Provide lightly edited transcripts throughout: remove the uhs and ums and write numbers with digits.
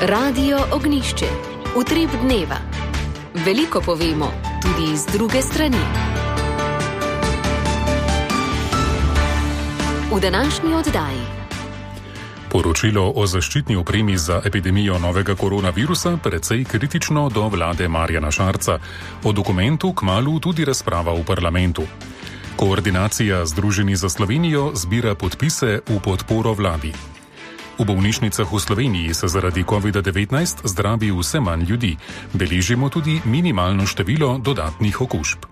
Radio Ognjišče. Utrip dneva. Veliko povemo, tudi z druge strani. V današnji oddaji. Poročilo o zaščitni opremi za epidemijo novega koronavirusa precej kritično do vlade Marjana Šarca. O dokumentu kmalu tudi razprava v parlamentu. Koordinacija Združeni za Slovenijo zbira podpise v podporo vladi. V bolnišnicah v Sloveniji se zaradi COVID-19 zdravi vse manj ljudi. Beležimo tudi minimalno število dodatnih okužb.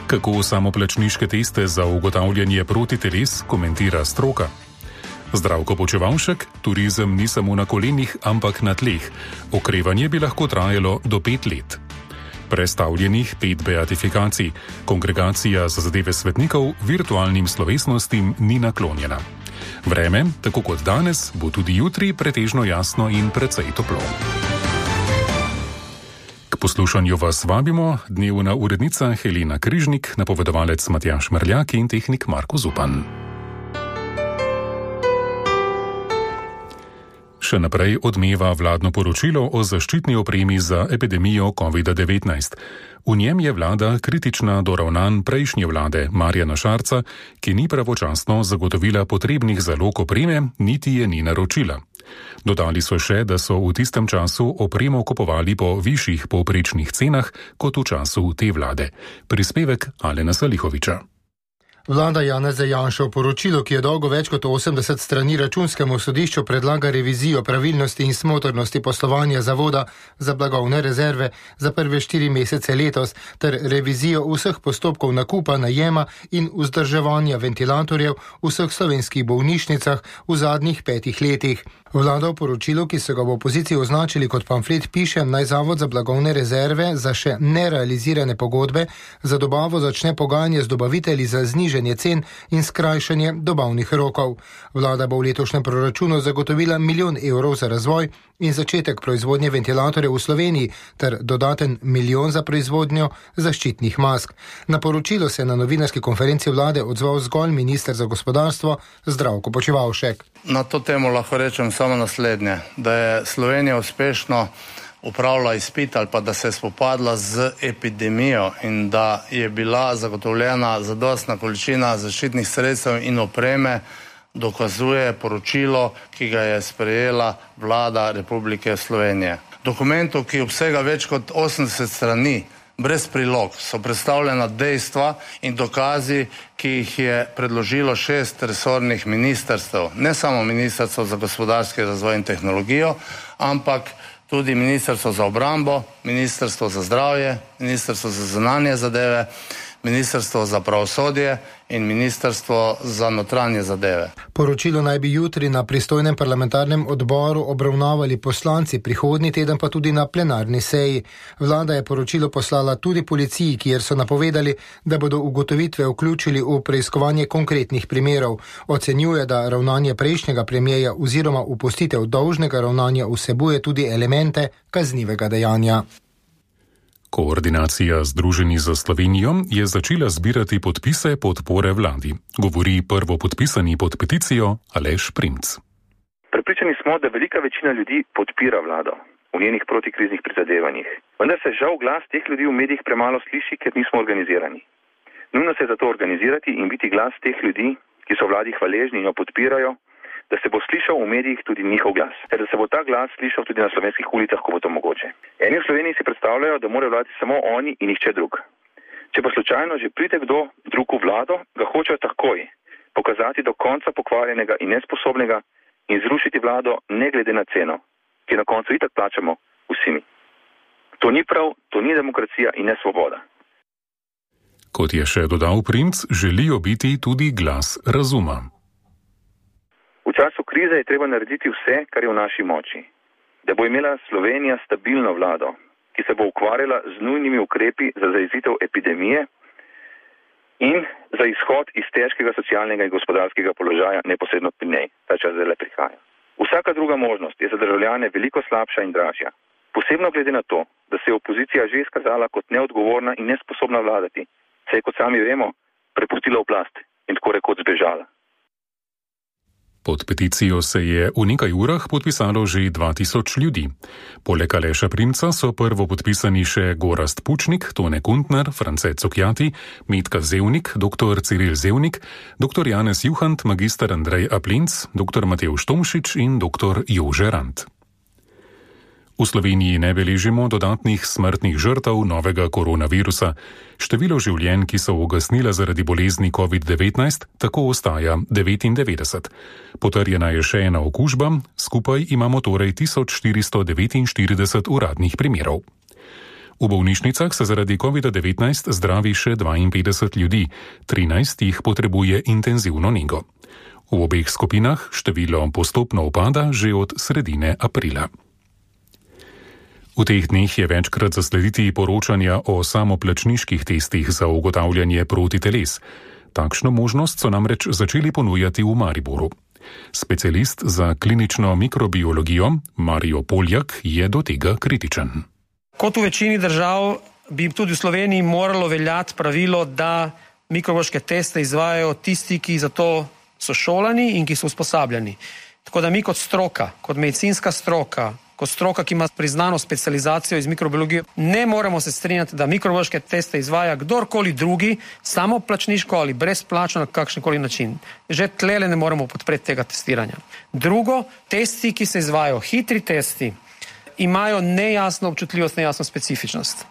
Kako samoplačniške teste za ugotavljanje protiteles komentira stroka? Zdravko Počevalšek, turizem ni samo na kolenih, ampak na tleh. Okrevanje bi lahko trajalo do 5 let. Prestavljenih 5 beatifikacij. Kongregacija za zadeve svetnikov virtualnim slovesnostim ni naklonjena. Vreme, tako kot danes, bo tudi jutri pretežno jasno in precej toplo. K poslušanju vas vabimo dnevna urednica Helena Križnik, napovedovalec Matjaž Mrljak in tehnik Marko Zupan. Še naprej odmeva vladno poročilo o zaščitni opremi za epidemijo COVID-19. V njem je vlada kritična do ravnanj prejšnje vlade Marjana Šarca, ki ni pravočasno zagotovila potrebnih zalog opreme, niti je ni naročila. Dodali so še, da so v tistem času opremo kupovali po višjih povprečnih cenah kot v času te vlade. Prispevek Alena Salihoviča. Vlada Janeza Janše v poročilu, ki je dolgo več kot 80 strani Računskemu sodišču, predlaga revizijo pravilnosti in smotrnosti poslovanja Zavoda za blagovne rezerve za prve 4 mesece letos ter revizijo vseh postopkov nakupa, najema in vzdrževanja ventilatorjev v vseh slovenskih bolnišnicah v zadnjih 5 letih. Vlada v poročilu, ki so ga v opoziciji označili kot pamflet, piše, naj Zavod za blagovne rezerve za še nerealizirane pogodbe za dobavo začne pogajanje z dobavitelji za znižanje cen in skrajšanje dobavnih rokov. Vlada bo v letošnjem proračunu zagotovila 1 milijon evrov za razvoj in začetek proizvodnje ventilatorjev v Sloveniji ter dodaten 1 milijon za proizvodnjo zaščitnih mask. Na poročilo se je na novinarski konferenci vlade odzval zgolj minister za gospodarstvo Zdravko Počevalšek. Na to temo lahko rečem samo naslednje, da je Slovenija uspešno upravila izpit ali pa da se je spopadla z epidemijo in da je bila zagotovljena zadostna količina zaščitnih sredstev in opreme, dokazuje poročilo, ki ga je sprejela vlada Republike Slovenije. Dokumentu, ki obsega več kot 80 strani, brez prilog, so predstavljena dejstva in dokazi, ki jih je predložilo 6 resornih ministrstev. Ne samo Ministrstvo za gospodarski razvoj in tehnologijo, ampak tudi Ministrstvo za obrambo, Ministrstvo za zdravje, Ministrstvo za zunanje zadeve, Ministrstvo za pravosodje in Ministrstvo za notranje zadeve. Poročilo naj bi jutri na pristojnem parlamentarnem odboru obravnavali poslanci, prihodnji teden pa tudi na plenarni seji. Vlada je poročilo poslala tudi policiji, kjer so napovedali, da bodo ugotovitve vključili v preiskovanje konkretnih primerov. Ocenjuje, da ravnanje prejšnjega premierja oziroma opustitev dolžnega ravnanja vsebuje tudi elemente kaznivega dejanja. Koordinacija Združeni za Slovenijo je začela zbirati podpise podpore vladi. Govori prvopodpisani pod peticijo Aleš Primc. Prepričani smo, da velika večina ljudi podpira vlado v njenih protikriznih prizadevanjih. Vendar se žal glas teh ljudi v medijih premalo sliši, ker nismo organizirani. Nujno se je zato organizirati in biti glas teh ljudi, ki so vladi hvaležni in jo podpirajo, da se bo slišal v medijih tudi njihov glas, ter da se bo ta glas slišal tudi na slovenskih ulicah, ko bo to mogoče. Eni v Sloveniji si predstavljajo, da morajo vladati samo oni in nihče drug. Če pa slučajno že pride kdo drug v vlado, ga hočejo takoj pokazati do konca pokvarjenega in nesposobnega in zrušiti vlado ne glede na ceno, ki na koncu itak plačamo vsi mi. To ni prav, to ni demokracija in ne svoboda. Kot je še dodal Primc, želijo biti tudi glas razuma. V času krize je treba narediti vse, kar je v naši moči. Da bo imela Slovenija stabilno vlado, ki se bo ukvarjala z nujnimi ukrepi za zajezitev epidemije in za izhod iz težkega socialnega in gospodarskega položaja neposredno pri njej. Ta čas zdaj prihaja. Vsaka druga možnost je za državljane veliko slabša in dražja. Posebno glede na to, da se je opozicija že izkazala kot neodgovorna in nesposobna vladati, se je, kot sami vemo, prepustila oblast in tako rekoč zbežala. Pod peticijo se je v nekaj urah podpisalo že 2000 ljudi. Poleg Aleša Primca so prvo podpisani še Gorazd Pučnik, Tone Kuntner, France Cukjati, Metka Zevnik, dr. Ciril Zevnik, dr. Janez Juhant, magister Andrej Aplinc, dr. Matevž Tomšič in dr. Jože Rant. V Sloveniji ne beležimo dodatnih smrtnih žrtev novega koronavirusa. Število življenj, ki so ugasnila zaradi bolezni COVID-19, tako ostaja 99. Potrjena je še ena okužba, skupaj imamo torej 1449 uradnih primerov. V bolnišnicah se zaradi COVID-19 zdravi še 52 ljudi, 13 jih potrebuje intenzivno nego. V obeh skupinah število postopno upada že od sredine aprila. V teh dneh je večkrat zaslediti poročanja o samoplačniških testih za ugotavljanje protiteles. Takšno možnost so namreč začeli ponujati v Mariboru. Specialist za klinično mikrobiologijo Mario Poljak je do tega kritičen. Kot v večini držav bi tudi v Sloveniji moralo veljati pravilo, da mikrobiološke teste izvajajo tisti, ki za to so šolani in ki so usposabljani. Tako da mi kot stroka, kot medicinska stroka, kot stroka, ki ima priznano specializacijo iz mikrobiologije, ne moremo se strinjati, da mikrobiološke teste izvaja kdorkoli drugi, samo plačniško ali brezplačno na kakšenkoli način. Že tlele ne moremo podpreti tega testiranja. Drugo, testi, ki se izvajajo, hitri testi, imajo nejasno občutljivost, nejasno specifičnost.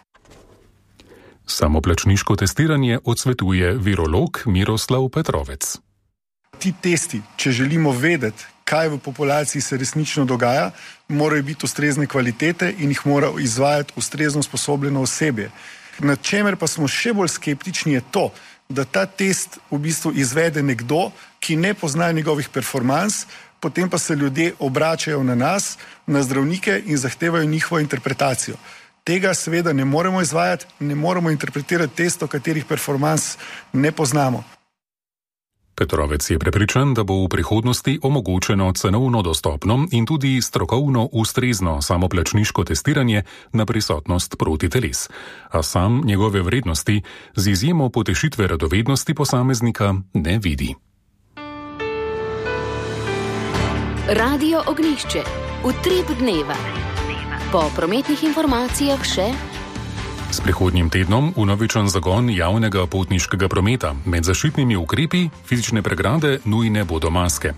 Samoplačniško testiranje odsvetuje virolog Miroslav Petrovec. Ti testi, če želimo vedeti, kaj v populaciji se resnično dogaja, morajo biti ustrezne kvalitete in jih mora izvajati ustrezno usposobljeno osebje. Nad čemer pa smo še bolj skeptični je to, da ta test v bistvu izvede nekdo, ki ne pozna njegovih performans, potem pa se ljudje obračajo na nas, na zdravnike in zahtevajo njihovo interpretacijo. Tega seveda ne moremo izvajati, ne moremo interpretirati testov, katerih performans ne poznamo. Petrovec je prepričan, da bo v prihodnosti omogočeno cenovno dostopno in tudi strokovno ustrezno samoplačniško testiranje na prisotnost protiteles, a sam njegove vrednosti z izjemo potešitve radovednosti posameznika ne vidi. Radio Ognjišče. Utrip dneva. Po prometnih informacijah še S prihodnjim tednom vnovičen zagon javnega potniškega prometa. Med zaščitnimi ukrepi fizične pregrade nujne bodo maske.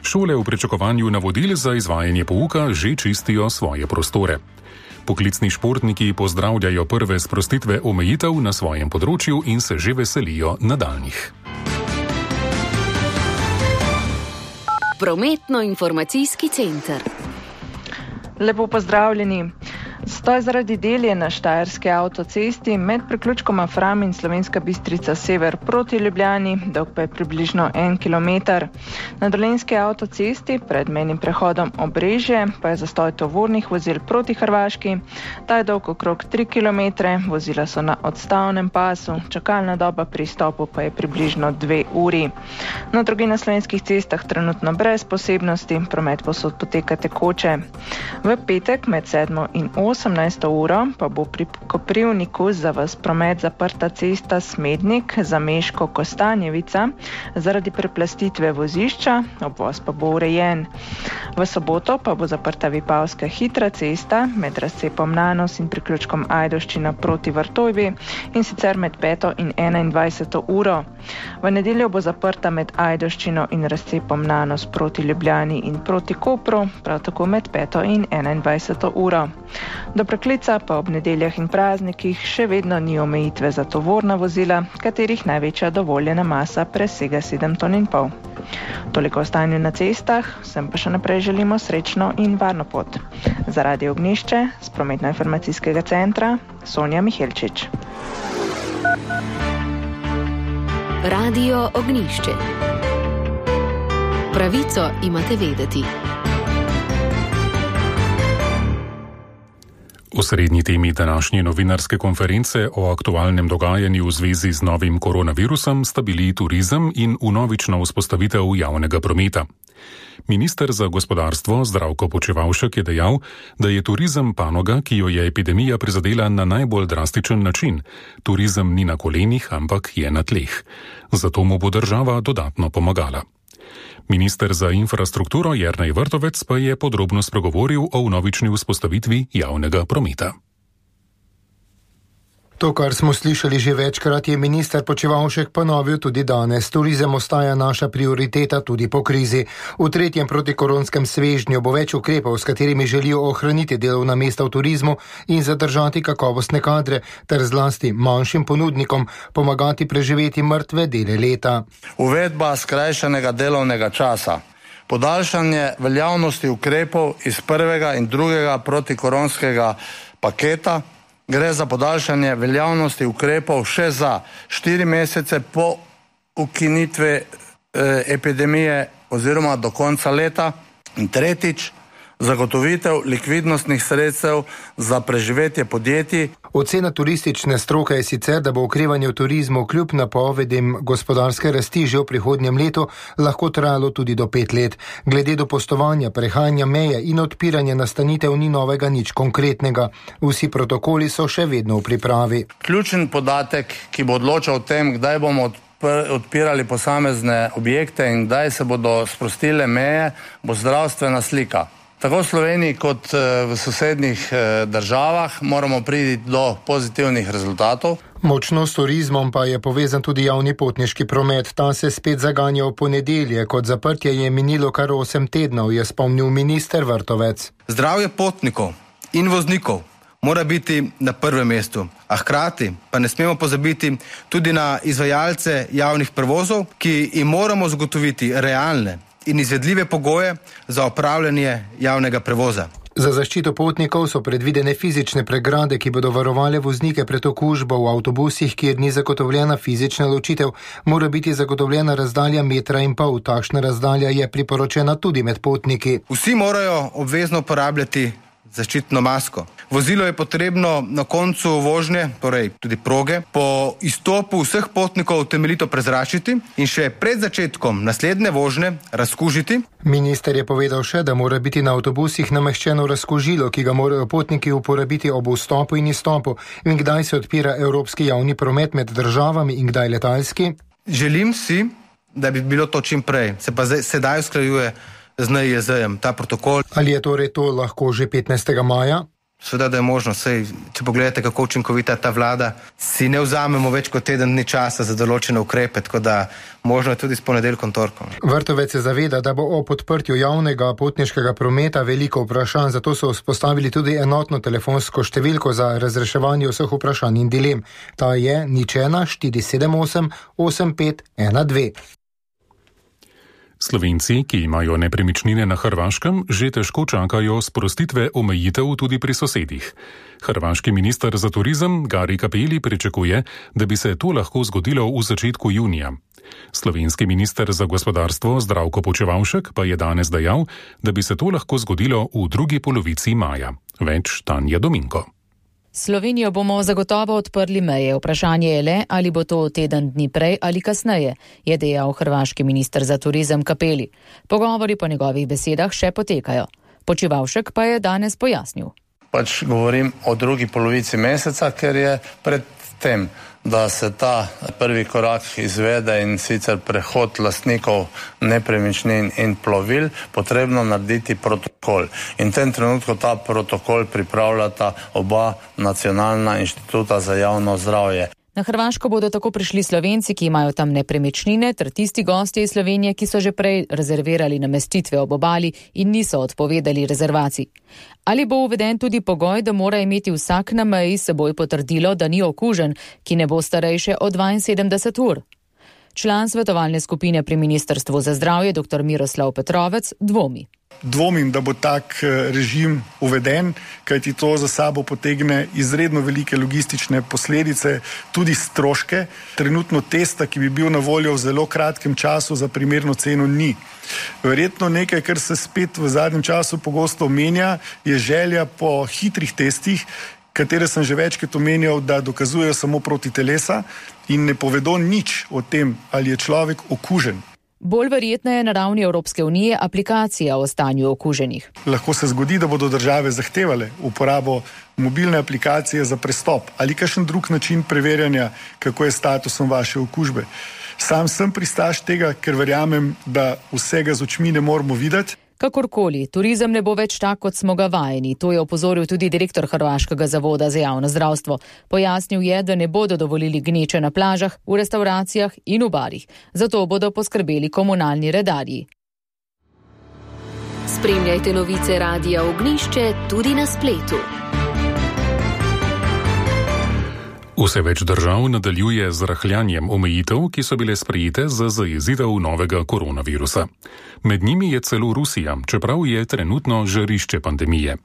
Šole v pričakovanju navodil za izvajanje pouka že čistijo svoje prostore. Poklicni športniki pozdravljajo prve sprostitve omejitev na svojem področju in se že veselijo nadaljnjih. Prometno-informacijski center. Lepo pozdravljeni. Stoj zaradi del je na štajerski avtocesti med priključkoma Fram in Slovenska Bistrica sever proti Ljubljani, dolg pa je približno 1 kilometer. Na dolenjski avtocesti pred mejnim prehodom Obrežje pa je zastoj tovornih vozil proti Hrvaški. Ta je dolg okrog 3 kilometre, vozila so na odstavnem pasu, čakalna doba pri stopu pa je približno 2 uri. Na drugih na slovenskih cestah trenutno brez posebnosti, promet posod poteka tekoče. V petek med 7 in 18. uro pa bo pri Koprivniku za vas promet zaprta cesta Smednik za Meško Kostanjevica zaradi preplastitve vozišča, obvoz pa bo urejen. V soboto pa bo zaprta Vipavska hitra cesta med razcepom Nanos in priključkom Ajdovščina proti Vrtojbi in sicer med 5. in 21. uro. V nedeljo bo zaprta med Ajdovščino in razcepom Nanos proti Ljubljani in proti Kopru, prav tako med 5. in 21. uro. Do preklica pa ob nedeljah in praznikih še vedno ni omejitve za tovorna vozila, katerih največja dovoljena masa presega 7,5 ton. Toliko o stanju na cestah, vsem pa še naprej želimo srečno in varno pot. Za Radio Ognjišče z prometno-informacijskega centra Sonja Mihelčič. Radio Ognjišče. Pravico imate vedeti. Osrednji temi današnje novinarske konference o aktualnem dogajanju v zvezi z novim koronavirusom sta bili turizem in vnovična vzpostavitev javnega prometa. Minister za gospodarstvo Zdravko Počivalšek je dejal, da je turizem panoga, ki jo je epidemija prizadela na najbolj drastičen način. Turizem ni na kolenih, ampak je na tleh. Zato mu bo država dodatno pomagala. Minister za infrastrukturo Jernej Vrtovec pa je podrobno spregovoril o vnovični vzpostavitvi javnega prometa. To, kar smo slišali že večkrat, je minister Počivalšek ponovil tudi danes. Turizem ostaja naša prioriteta tudi po krizi. V tretjem protikoronskem svežnju bo več ukrepov, s katerimi želijo ohraniti delovna mesta v turizmu in zadržati kakovostne kadre, ter zlasti manjšim ponudnikom pomagati preživeti mrtve dele leta. Uvedba skrajšanega delovnega časa, podaljšanje veljavnosti ukrepov iz prvega in drugega protikoronskega paketa. Gre za podaljšanje veljavnosti ukrepov še za 4 mesece po ukinitvi epidemije oziroma do konca leta. In tretjič, zagotovitev likvidnostnih sredstev za preživetje podjetij. Ocena turistične stroke je sicer, da bo okrevanje v turizmu kljub napovedim gospodarske rasti že v prihodnjem letu lahko trajalo tudi do 5 let. Glede do postovanja, prehajanja meje in odpiranja nastanitev ni novega nič konkretnega. Vsi protokoli so še vedno v pripravi. Ključen podatek, ki bo odločal o tem, kdaj bomo odpirali posamezne objekte in kdaj se bodo sprostile meje, bo zdravstvena slika. Tako v Sloveniji kot v sosednjih državah moramo priti do pozitivnih rezultatov. Močno s turizmom pa je povezan tudi javni potniški promet. Ta se spet zaganja v ponedeljek. Od zaprtja je minilo kar 8 tednov, je spomnil minister Vrtovec. Zdravje potnikov in voznikov mora biti na prvem mestu, a hkrati pa ne smemo pozabiti tudi na izvajalce javnih prevozov, ki jim moramo zagotoviti realne in izvedljive pogoje za opravljanje javnega prevoza. Za zaščito potnikov so predvidene fizične pregrade, ki bodo varovale voznike pred okužbo. V avtobusih, kjer ni zagotovljena fizična ločitev, mora biti zagotovljena razdalja 1,5 metra. Takšna razdalja je priporočena tudi med potniki. Vsi morajo obvezno uporabljati zaščitno masko. Vozilo je potrebno na koncu vožnje, torej tudi proge, po izstopu vseh potnikov temeljito prezračiti in še pred začetkom naslednje vožnje razkužiti. Minister je povedal še, da mora biti na avtobusih nameščeno razkužilo, ki ga morajo potniki uporabiti ob vstopu in izstopu, in kdaj se odpira evropski javni promet med državami in kdaj letalski. Želim si, da bi bilo to čim prej, se pa sedaj usklajuje z NIJZ-jem ta protokol. Ali je torej to lahko že 15. maja? Seveda, da je možno. Sej, če pogledate, kako učinkovita ta vlada, si ne vzamemo več kot teden dni časa za določene ukrepe, tako da možno je tudi s ponedeljkom, torkom. Vrtovec se zaveda, da bo o podprtju javnega potniškega prometa veliko vprašanj, zato so vzpostavili tudi enotno telefonsko številko za razreševanje vseh vprašanj in dilem. Ta je 01 478 8512. Slovenci, ki imajo nepremičnine na Hrvaškem, že težko čakajo sprostitve omejitev tudi pri sosedih. Hrvaški minister za turizem Gari Cappelli pričakuje, da bi se to lahko zgodilo v začetku junija. Slovenski minister za gospodarstvo Zdravko Počivalšek pa je danes dejal, da bi se to lahko zgodilo v drugi polovici maja. Več Tanja Dominko. Slovenijo bomo zagotovo odprli meje. Vprašanje je le, ali bo to teden dni prej ali kasneje, je dejal hrvaški minister za turizem Cappelli. Pogovori po njegovih besedah še potekajo. Počivalšek pa je danes pojasnil. Govorim o drugi polovici meseca, ker je pred tem, da se ta prvi korak izvede in sicer prehod lastnikov nepremičnin in plovil, potrebno narediti protokol. In v tem trenutku ta protokol pripravljata oba nacionalna inštituta za javno zdravje. Na Hrvaško bodo tako prišli Slovenci, ki imajo tam nepremičnine, ter tisti gostje iz Slovenije, ki so že prej rezervirali namestitve ob obali in niso odpovedali rezervacij. Ali bo uveden tudi pogoj, da mora imeti vsak na meji s seboj potrdilo, da ni okužen, ki ne bo starejše od 72 ur? Član svetovalne skupine pri Ministrstvu za zdravje, dr. Miroslav Petrovec, dvomi. Dvomim, da bo tak režim uveden, kajti to za sabo potegne izredno velike logistične posledice, tudi stroške. Trenutno testa, ki bi bil na voljo v zelo kratkem času za primerno ceno, ni. Verjetno nekaj, kar se spet v zadnjem času pogosto omenja, je želja po hitrih testih, katere sem že večkrat omenjal, da dokazujejo samo proti telesa in ne povedo nič o tem, ali je človek okužen. Bolj verjetna je na ravni Evropske unije aplikacija o stanju okuženih. Lahko se zgodi, da bodo države zahtevale uporabo mobilne aplikacije za prestop ali kakšen drug način preverjanja, kako je statusom vaše okužbe. Sam sem pristaš tega, ker verjamem, da vsega z očmi ne moramo videti. Kakorkoli, turizem ne bo več tak, kot smo ga vajeni. To je opozoril tudi direktor Hrvaškega zavoda za javno zdravstvo. Pojasnil je, da ne bodo dovolili gneče na plažah, v restavracijah in v barih. Zato bodo poskrbeli komunalni redarji. Spremljajte novice Radia Ognjišče tudi na spletu. Vse več držav nadaljuje z rahljanjem omejitev, ki so bile sprejete za zajezitev novega koronavirusa. Med njimi je celo Rusija, čeprav je trenutno žarišče pandemije.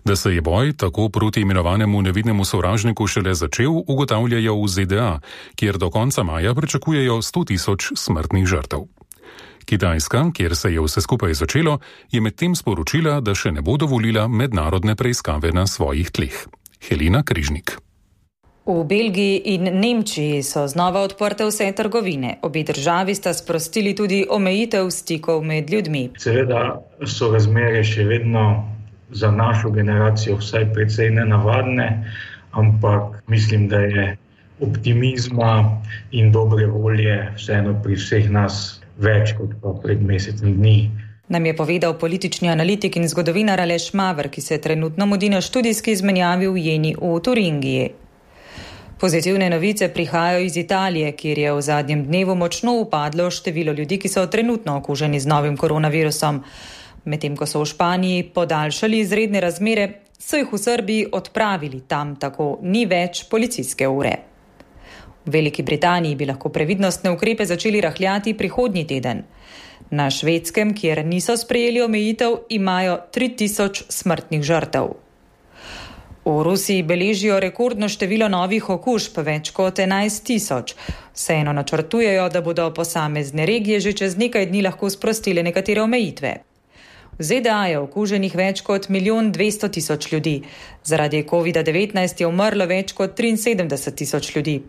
Da se je boj tako proti imenovanemu nevidnemu sovražniku šele začel, ugotavljajo v ZDA, kjer do konca maja pričakujejo 100.000 smrtnih žrtev. Kitajska, kjer se je vse skupaj začelo, je medtem sporočila, da še ne bo dovolila mednarodne preiskave na svojih tleh. Helena Križnik. V Belgiji in Nemčiji so znova odprte vse trgovine. Obe državi sta sprostili tudi omejitev stikov med ljudmi. Seveda so razmere še vedno za našo generacijo vsaj precej nenavadne, ampak mislim, da je optimizma in dobre volje vseeno pri vseh nas več kot pa pred mesecem dni. Nam je povedal politični analitik in zgodovinar Aleš Maver, ki se trenutno mudi na študijski izmenjavi v Jeni v Turingiji. Pozitivne novice prihajajo iz Italije, kjer je v zadnjem dnevu močno upadlo število ljudi, ki so trenutno okuženi z novim koronavirusom. Medtem ko so v Španiji podaljšali izredne razmere, so jih v Srbiji odpravili, tam tako ni več policijske ure. V Veliki Britaniji bi lahko previdnostne ukrepe začeli rahljati prihodnji teden. Na Švedskem, kjer niso sprejeli omejitev, imajo 3000 smrtnih žrtev. V Rusiji beležijo rekordno število novih okužb, več kot 11.000. Vseeno načrtujejo, da bodo posamezne regije že čez nekaj dni lahko sprostile nekatere omejitve. V ZDA je okuženih več kot 1.200.000 ljudi. Zaradi COVID-19 je umrlo več kot 73.000 ljudi.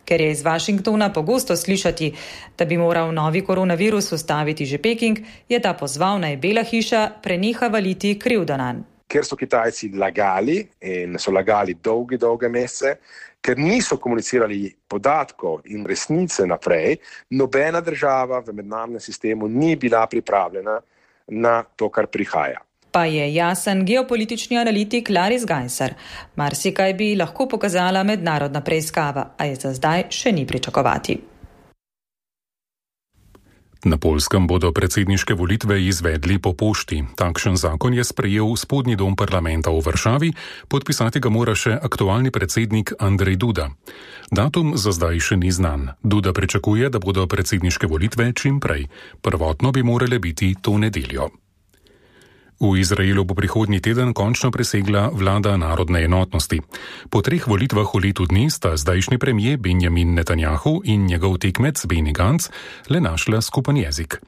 Ker je iz Washingtona pogosto slišati, da bi moral novi koronavirus ustaviti že Peking, je ta pozval, naj Bela hiša preneha valiti krivdo nanj. Ker so Kitajci lagali in so lagali dolge mesece, ker niso komunicirali podatkov in resnice naprej, nobena država v mednarodnem sistemu ni bila pripravljena na to, kar prihaja. Pa je jasen geopolitični analitik Laris Gajser. Marsikaj bi lahko pokazala mednarodna preiskava, a je za zdaj še ni pričakovati. Na Poljskem bodo predsedniške volitve izvedli po pošti. Takšen zakon je sprejel spodnji dom parlamenta v Varšavi, podpisati ga mora še aktualni predsednik Andrej Duda. Datum za zdaj še ni znan. Duda pričakuje, da bodo predsedniške volitve čim prej. Prvotno bi morale biti to nedeljo. V Izraelu bo prihodnji teden končno presegla vlada narodne enotnosti. Po 3 volitvah v letu dni sta zdajšnji premijer Benjamin Netanjahu in njegov tekmec Benny Gantz le našla skupen jezik.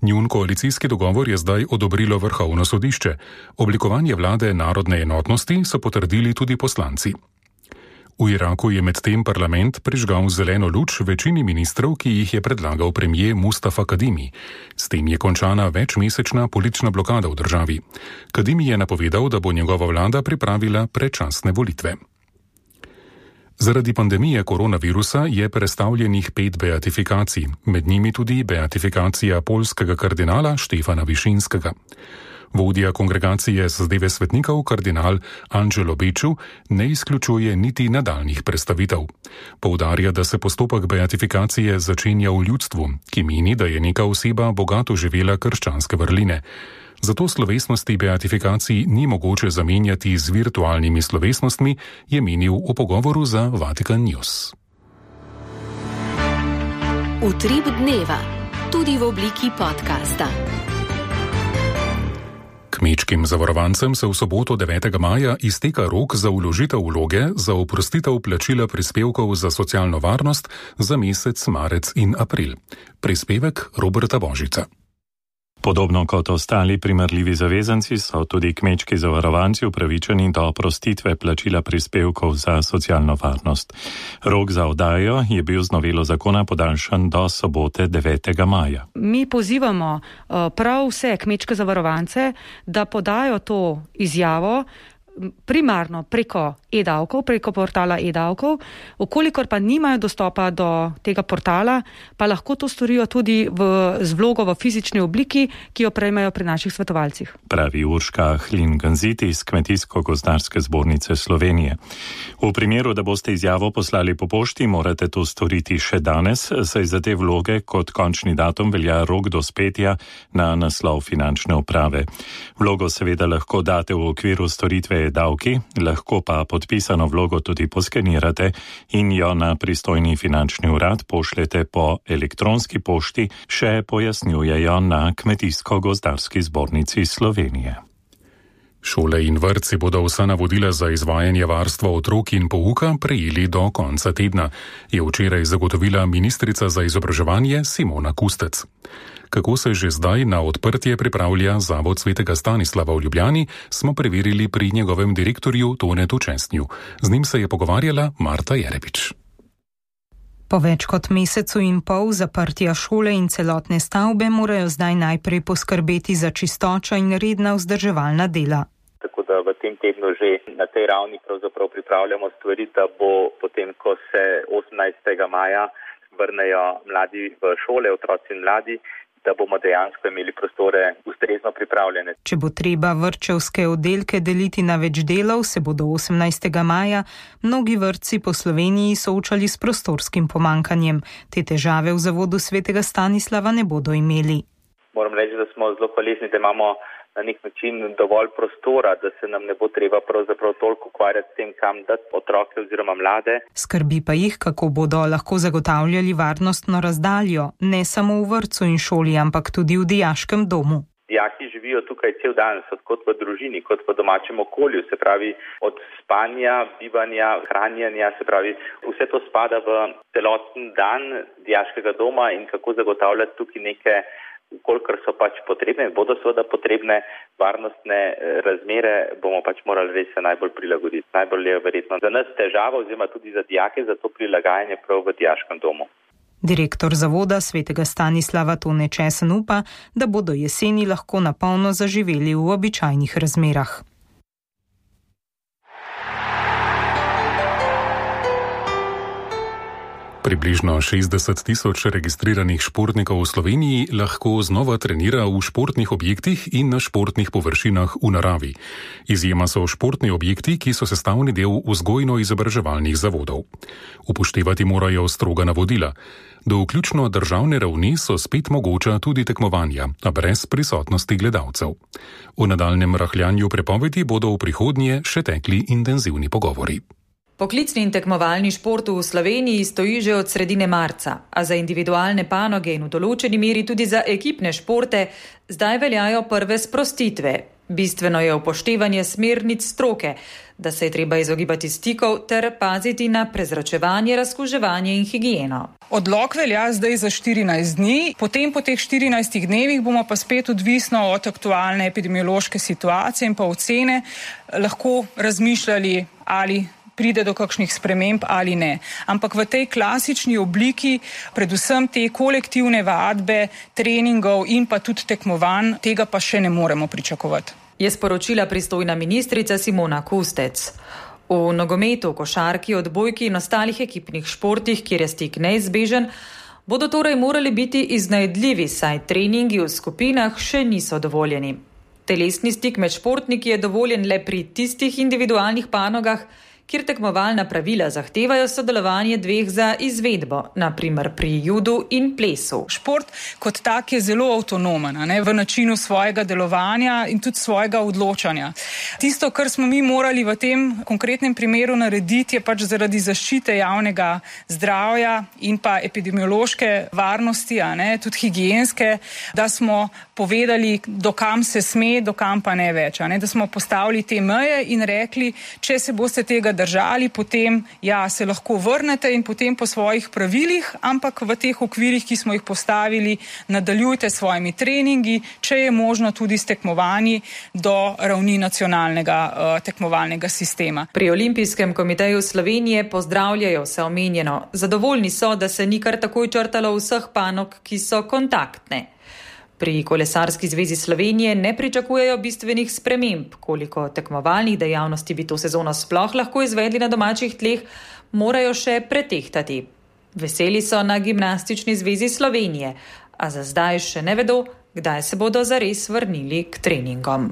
Njun koalicijski dogovor je zdaj odobrilo Vrhovno sodišče. Oblikovanje vlade narodne enotnosti so potrdili tudi poslanci. V Iraku je medtem parlament prižgal zeleno luč večini ministrov, ki jih je predlagal premijer Mustafa Kadimi. S tem je končana večmesečna politična blokada v državi. Kadimi je napovedal, da bo njegova vlada pripravila predčasne volitve. Zaradi pandemije koronavirusa je prestavljenih 5 beatifikacij, med njimi tudi beatifikacija poljskega kardinala Štefana Višinskega. Vodja kongregacije zadeve svetnikov, kardinal Angelo Beču, ne izključuje niti nadaljnjih prestavitev. Poudarja, da se postopek beatifikacije začenja v ljudstvu, ki meni, da je neka oseba bogato živela krščanske vrline. Zato slovesnosti beatifikacij ni mogoče zamenjati z virtualnimi slovesnostmi, je menil v pogovoru za Vatikan News. Utrip dneva, tudi v obliki podcasta. Kmečkim zavarovancem se v soboto 9. maja izteka rok za vložitev vloge za oprostitev plačila prispevkov za socialno varnost za mesec marec in april. Prispevek Roberta Božica. Podobno kot ostali primerljivi zavezanci so tudi kmečki zavarovanci upravičeni do oprostitve plačila prispevkov za socialno varnost. Rok za oddajo je bil z novelo zakona podaljšan do sobote 9. maja. Mi pozivamo prav vse kmečke zavarovance, da podajo to izjavo primarno preko e-davkov, preko portala e-davkov, okolikor pa nimajo dostopa do tega portala, pa lahko to storijo tudi z vlogo v fizični obliki, ki jo prejmejo pri naših svetovalcih. Pravi Urška Hlin-Ganziti iz Kmetijsko-gozdarske zbornice Slovenije. V primeru, da boste izjavo poslali po pošti, morate to storiti še danes, saj za te vloge kot končni datum velja rok dospetja na naslov finančne uprave. Vlogo seveda lahko date v okviru storitve e-davki, lahko pa podpisano vlogo tudi poskenirate in jo na pristojni finančni urad pošljete po elektronski pošti, še pojasnjujejo na Kmetijsko-gozdarski zbornici Slovenije. Šole in vrtci bodo vsa navodila za izvajanje varstva otrok in pouka prejeli do konca tedna, je včeraj zagotovila ministrica za izobraževanje Simona Kustec. Kako se že zdaj na odprtje pripravlja Zavod svetega Stanislava v Ljubljani, smo preverili pri njegovem direktorju Tonetu Čestnju. Z njim se je pogovarjala Marta Jerebič. Po več kot mesecu in pol zaprtja šole in celotne stavbe morajo zdaj najprej poskrbeti za čistočo in redna vzdrževalna dela. Tako da v tem tednu že na tej ravni pravzaprav pripravljamo stvari, da bo potem, ko se 18. maja vrnejo mladi v šole, otroci in mladi, da bomo dejansko imeli prostore ustrezno pripravljene. Če bo treba vrtčevske oddelke deliti na več delov, se bodo 18. maja mnogi vrtci po Sloveniji soočali s prostorskim pomanjkanjem. Te težave v Zavodu svetega Stanislava ne bodo imeli. Moram reči, da smo zelo hvaležni, da imamo na nek način dovolj prostora, da se nam ne bo treba pravzaprav toliko ukvarjati s tem, kam dati otroke oziroma mlade. Skrbi pa jih, kako bodo lahko zagotavljali varnostno razdaljo, ne samo v vrtcu in šoli, ampak tudi v dijaškem domu. Dijaki živijo tukaj cel dan, so kot v družini, kot v domačem okolju, se pravi od spanja, bivanja, hranjenja, se pravi vse to spada v celoten dan dijaškega doma in kako zagotavljati tukaj neke, kolikor so pač potrebne, bodo seveda potrebne varnostne razmere, bomo pač morali res se najbolj prilagoditi. Najbolj je verjetno za nas težava oziroma tudi za dijake za to prilagajanje prav v dijaškem domu. Direktor Zavoda svetega Stanislava Tone Česen upa, da bodo jeseni lahko na polno zaživeli v običajnih razmerah. Približno 60 tisoč registriranih športnikov v Sloveniji lahko znova trenira v športnih objektih in na športnih površinah v naravi. Izjema so športni objekti, ki so sestavni del vzgojno-izobraževalnih zavodov. Upoštevati morajo stroga navodila. Do vključno državne ravni so spet mogoča tudi tekmovanja, a brez prisotnosti gledalcev. O nadaljnjem rahljanju prepovedi bodo v prihodnje še tekli intenzivni pogovori. Poklicni in tekmovalni šport v Sloveniji stoji že od sredine marca, a za individualne panoge in v določeni meri tudi za ekipne športe zdaj veljajo prve sprostitve. Bistveno je upoštevanje smernic stroke, da se je treba izogibati stikov ter paziti na prezračevanje, razkuževanje in higieno. Odlok velja zdaj za 14 dni, potem po teh 14 dnevih bomo pa spet odvisno od aktualne epidemiološke situacije in pa ocene lahko razmišljali, ali pride do kakšnih sprememb ali ne. Ampak v tej klasični obliki, predvsem te kolektivne vadbe, treningov in pa tudi tekmovanj, tega pa še ne moremo pričakovati. Je sporočila pristojna ministrica Simona Kustec. V nogometu, košarki, odbojki in ostalih ekipnih športih, kjer je stik neizbežen, bodo torej morali biti iznajdljivi, saj treningi v skupinah še niso dovoljeni. Telesni stik med športniki je dovoljen le pri tistih individualnih panogah, kjer tekmovalna pravila zahtevajo sodelovanje dveh za izvedbo, naprimer pri judu in plesu. Šport kot tak je zelo avtonomen, v načinu svojega delovanja in tudi svojega odločanja. Tisto, kar smo mi morali v tem konkretnem primeru narediti, je pač zaradi zaščite javnega zdravja in pa epidemiološke varnosti, tudi higienske, da smo povedali, do kam se sme, do kam pa ne več. Da smo postavili te meje in rekli, če se boste tega držali, potem se lahko vrnete in potem po svojih pravilih, ampak v teh okvirih, ki smo jih postavili, nadaljujte s svojimi treningi, če je možno tudi s tekmovanji do ravni nacionalnega tekmovalnega sistema. Pri Olimpijskem komiteju Slovenije pozdravljajo vse omenjeno. Zadovoljni so, da se ni kar takoj črtalo vseh panog, ki so kontaktne. Pri Kolesarski zvezi Slovenije ne pričakujejo bistvenih sprememb. Koliko tekmovalnih dejavnosti bi to sezono sploh lahko izvedli na domačih tleh, morajo še pretehtati. Veseli so na Gimnastični zvezi Slovenije, a za zdaj še ne vedo, kdaj se bodo zares vrnili k treningom.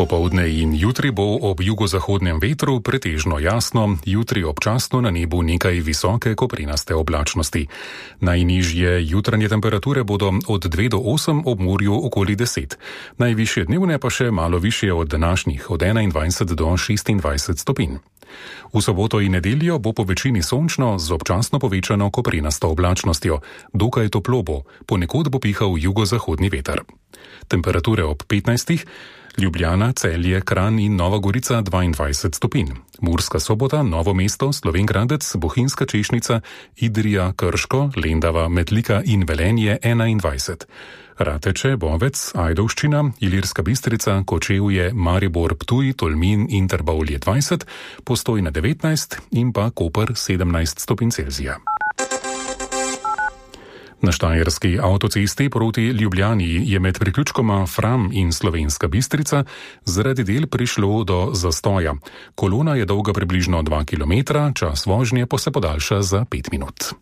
Popoldne in jutri bo ob jugozahodnem vetru pretežno jasno, jutri občasno na nebu nekaj visoke koprenaste oblačnosti. Najnižje jutranje temperature bodo od 2 do 8, ob morju okoli 10. Najvišje dnevne pa še malo višje od današnjih, od 21 do 26 stopinj. V soboto in nedeljo bo po večini sončno z občasno povečano koprenasto oblačnostjo. Dokaj toplo bo, ponekod bo pihal jugozahodni veter. Temperature ob 15. Ljubljana, Celje, Kranj in Nova Gorica 22 stopinj. Murska Sobota, Novo mesto, Slovenj Gradec, Bohinjska Češnica, Idrija, Krško, Lendava, Metlika in Velenje 21. Rateče, Bovec, Ajdovščina, Ilirska Bistrica, Kočevje, Maribor, Ptuj, Tolmin in Trbovlje 20, Postojna 19 in pa Koper 17 stopinj Celzija. Na štajerski avtocesti proti Ljubljani je med priključkoma Fram in Slovenska Bistrica zaradi del prišlo do zastoja. Kolona je dolga približno 2 km, čas vožnje pa se podaljša za 5 minut.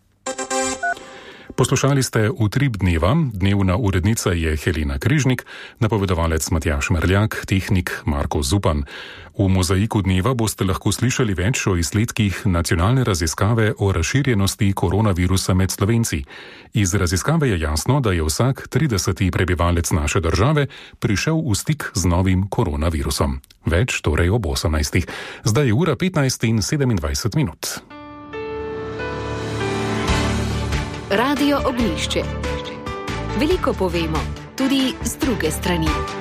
Poslušali ste Utrip dneva, dnevna urednica je Helena Križnik, napovedovalec Matjaž Merljak, tehnik Marko Zupan. V mozaiku dneva boste lahko slišali več o izsledkih nacionalne raziskave o razširjenosti koronavirusa med Slovenci. Iz raziskave je jasno, da je vsak 30. prebivalec naše države prišel v stik z novim koronavirusom. Več torej ob 18. Zdaj je ura 15 in 27 minut. Radio Ognjišče. Veliko povemo, tudi z druge strani.